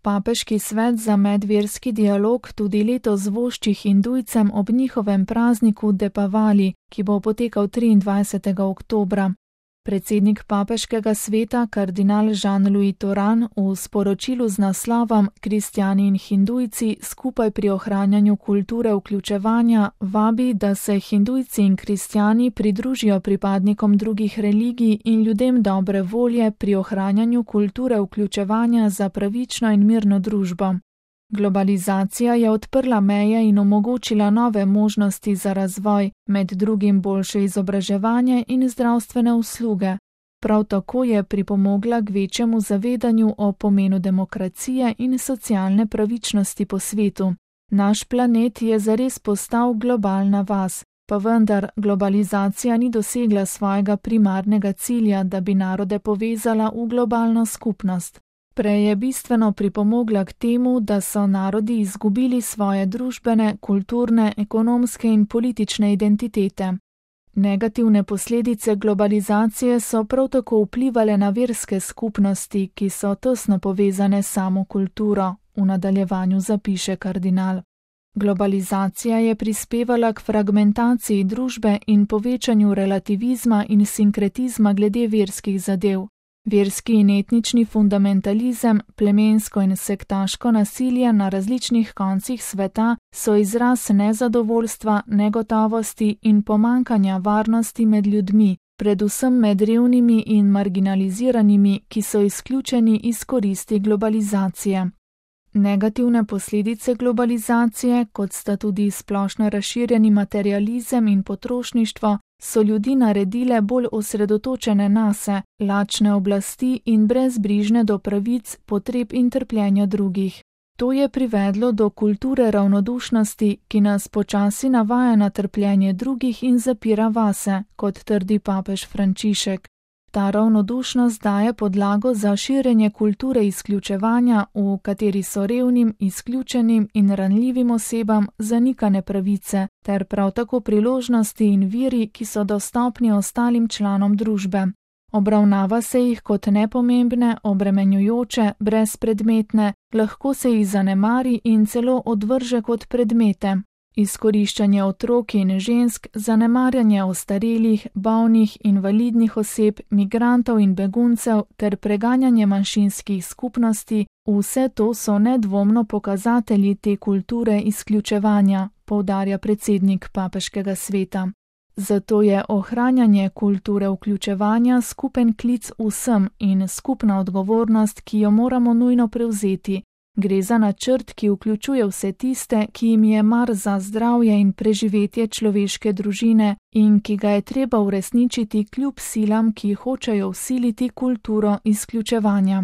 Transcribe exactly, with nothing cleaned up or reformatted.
Papeški svet za medverski dialog tudi letos vošči Hindujcem ob njihovem prazniku Depavali, ki bo potekal triindvajsetega oktobra. Predsednik papeškega sveta, kardinal Jean-Louis Toran, v sporočilu z naslovom Kristjani in Hindujci skupaj pri ohranjanju kulture vključevanja vabi, da se Hindujci in kristjani pridružijo pripadnikom drugih religij in ljudem dobre volje pri ohranjanju kulture vključevanja za pravično in mirno družbo. Globalizacija je odprla meje in omogočila nove možnosti za razvoj, med drugim boljše izobraževanje in zdravstvene usluge. Prav tako je pripomogla k večjemu zavedanju o pomenu demokracije in socialne pravičnosti po svetu. Naš planet je zares postal globalna vas, pa vendar globalizacija ni dosegla svojega primarnega cilja, da bi narode povezala v globalno skupnost. Prej je bistveno pripomogla k temu, da so narodi izgubili svoje družbene, kulturne, ekonomske in politične identitete. Negativne posledice globalizacije so prav tako vplivale na verske skupnosti, ki so tesno povezane s samo kulturo, v nadaljevanju zapiše kardinal. Globalizacija je prispevala k fragmentaciji družbe in povečanju relativizma in sinkretizma glede verskih zadev. Verski in etnični fundamentalizem, plemensko in sektaško nasilje na različnih koncih sveta so izraz nezadovoljstva, negotovosti in pomankanja varnosti med ljudmi, predvsem med revnimi in marginaliziranimi, ki so izključeni iz koristi globalizacije. Negativne posledice globalizacije, kot sta tudi splošno razširjeni materializem in potrošništvo, so ljudi naredile bolj osredotočene nase, lačne oblasti in brezbrižne do pravic, potreb in trpljenja drugih. To je privedlo do kulture ravnodušnosti, ki nas počasi navaja na trpljenje drugih in zapira vase, kot trdi papež Frančišek. Ta ravnodušnost daje podlago za širjenje kulture izključevanja, v kateri so revnim, izključenim in ranljivim osebam zanikane pravice, ter prav tako priložnosti in viri, ki so dostopni ostalim članom družbe. Obravnava se jih kot nepomembne, obremenjujoče, brezpredmetne, lahko se jih zanemari in celo odvrže kot predmete. Izkoriščanje otrok in žensk, zanemarjanje ostarelih, bolnih, invalidnih oseb, migrantov in beguncev ter preganjanje manjšinskih skupnosti, vse to so nedvomno pokazatelji te kulture izključevanja, poudarja predsednik papeškega sveta. Zato je ohranjanje kulture vključevanja skupen klic vsem in skupna odgovornost, ki jo moramo nujno prevzeti. Gre za načrt, ki vključuje vse tiste, ki jim je mar za zdravje in preživetje človeške družine in ki ga je treba uresničiti kljub silam, ki hočejo vsiliti kulturo izključevanja.